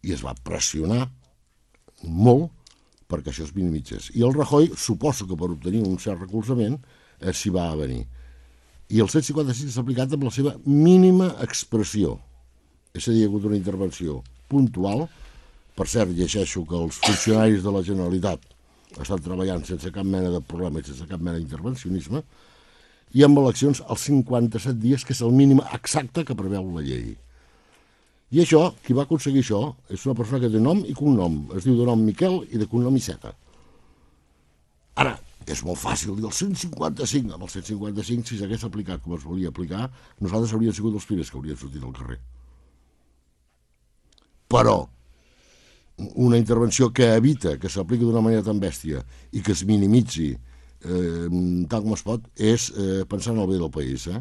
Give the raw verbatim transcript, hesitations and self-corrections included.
I es va pressionar molt perquè això es minimitzés. I el Rajoy, suposo que per obtenir un cert recolzament, s'hi va avenir. I el cent cinquanta-cinc s'ha aplicat amb la seva mínima expressió. És a dir, hi ha hagut una intervenció puntual. Per cert, llegeixo que els funcionaris de la Generalitat estan treballant sense cap mena de problema i sense cap mena d'intervencionisme, i amb eleccions als cinquanta-set dies, que és el mínim exacte que preveu la llei. I això, qui va aconseguir això, és una persona que té nom i cognom. Es diu de nom Miquel i de cognom Iceta. Ara, és molt fàcil dir el cent cinquanta-cinc. Amb el cent cinquanta-cinc, si s'hagués aplicat com es volia aplicar, nosaltres hauríem sigut els primers que haurien sortit al carrer. Però una intervenció que evita que s'apliqui d'una manera tan bèstia i que es minimitzi eh, tal com es pot, és eh, pensar en el bé del país, eh?